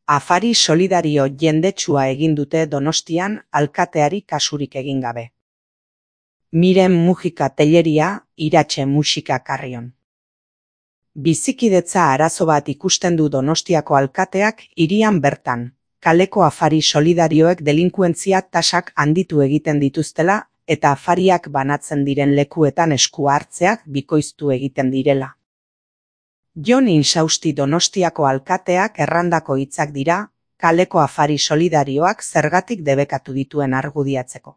Afari solidario jendetsua egin dute Donostian alkateari kasurik egin gabe. Miren Mujika Telleria, Iratxe Musika Carrion. Bizikidetza arazo bat ikusten du Donostiako alkateak hirian bertan, kaleko afari solidarioek delinkuentzia tasak handitu egiten dituztela eta afariak banatzen diren lekuetan esku hartzeak bikoiztu egiten direla. Jon Insausti Donostiako alkateak errandako hitzak dira, kaleko afari solidarioak zergatik debekatu dituen argudiatzeko.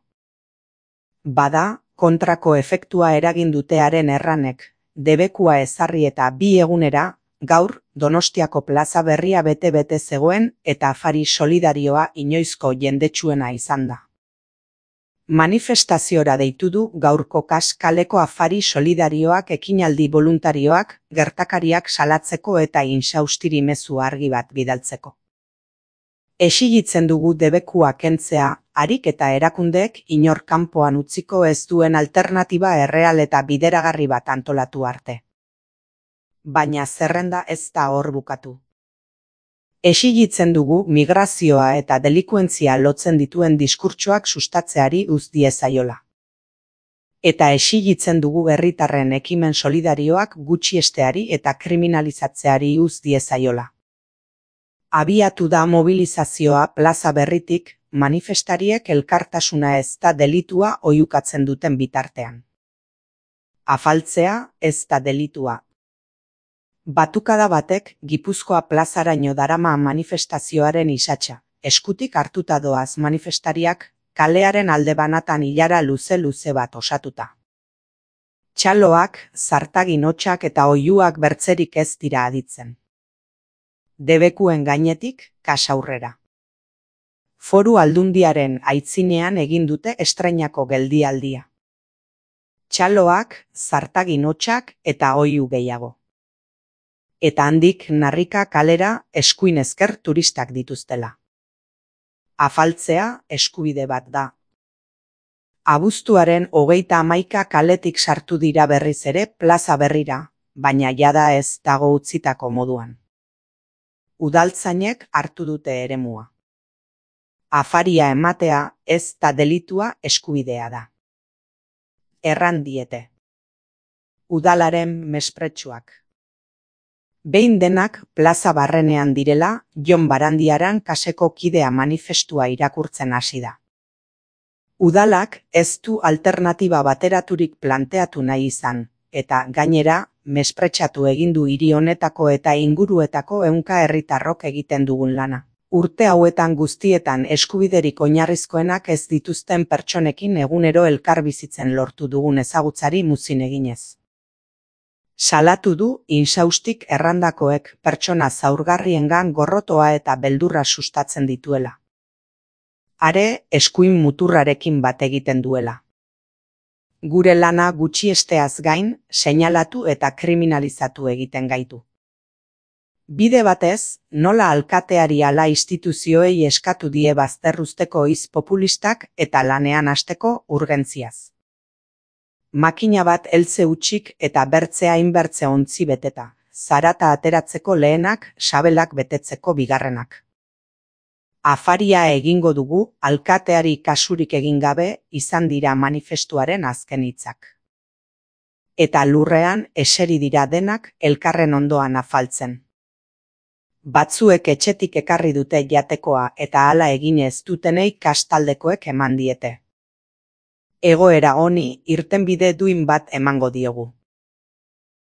Bada, kontrako efektua eragin dutearen erranek, debekua ezarri eta 2 egunera, gaur, Donostiako plaza berria bete-bete zegoen eta afari solidarioa inoizko jendetsuena izan da. Manifestaziora deitu du gaurko kaleko afari solidarioak ekinaldi boluntarioak, gertakariak salatzeko eta Insaustiri mezu argi bat bidaltzeko. Exigitzen dugu debekua kentzea, harik eta erakundeek inor kanpoan utziko ez duen alternatiba erreal eta bideragarri bat antolatu arte. Baina zerrenda ez da hor bukatu. Exigitzen dugu migrazioa eta delikuentzia lotzen dituen diskurtsoak sustatzeari uz diezaiola. Eta exigitzen dugu herritarren ekimen solidarioak gutxiesteari eta kriminalizatzeari uz diezaiola. Abiatu da mobilizazioa plaza berritik, manifestariek elkartasuna ez da delitua oihukatzen duten bitartean. Afaltzea ez da delitua. Batukada batek Gipuzkoa plazaraino darama manifestazioaren isatsa, eskutik hartuta doaz manifestariak, kalearen alde banatan ilara luze-luze bat osatuta. Txaloak, zartagin hotsak eta oihuak bertzerik ez dira aditzen. Debekuen gainetik, kasaurrera. Foru Aldundiaren aitzinean egin dute estreinako geldialdia. Txaloak, zartagin hotsak eta oihu gehiago. Eta handik Narrika kalera eskuin esker turistak dituztela. Afaltzea eskubide bat da. Abuztuaren 31 kaletik sartu dira berriz ere plaza berrira, baina jada ez dago utzitako moduan. Udaltzainek hartu dute eremua. Afaria ematea ez da delitua eskubidea da. Erran diete. Udalaren mespretsuak. Behin denak plaza barrenean direla, Jon Barandiaran kaseko kidea manifestua irakurtzen hasi da. Udalak ez du alternatiba bateraturik planteatu nahi izan, eta gainera, mespretsatu egin du hiri honetako eta inguruetako ehunka herritarrok egiten dugun lana. Urte hauetan guztietan eskubiderik oinarrizkoenak ez dituzten pertsonekin egunero elkar bizitzen lortu dugun ezagutzari muzin eginez. Salatu du Insaustik errandakoek pertsona zaurgarriengan gorrotoa eta beldurra sustatzen dituela. Are eskuin muturrarekin bat egiten duela. Gure lana gutxiesteaz gain, seinalatu eta kriminalizatu egiten gaitu. Bide batez, nola alkateari ala instituzioei eskatu die bazterruzteko hitz populistak eta lanean hasteko urgentziaz. Makina bat heltze hutsik eta bertzea inbertze ontzi beteta, zarata ateratzeko lehenak, sabelak betetzeko bigarrenak. Afaria egingo dugu, alkateari kasurik egin gabe izan dira manifestuaren azken hitzak. Eta lurrean eseri dira denak elkarren ondoan afaltzen. Batzuek etxetik ekarri dute jatekoa eta hala egin ez dutenei kastaldekoek eman diete. Egoera honi irtenbide duin bat emango diogu.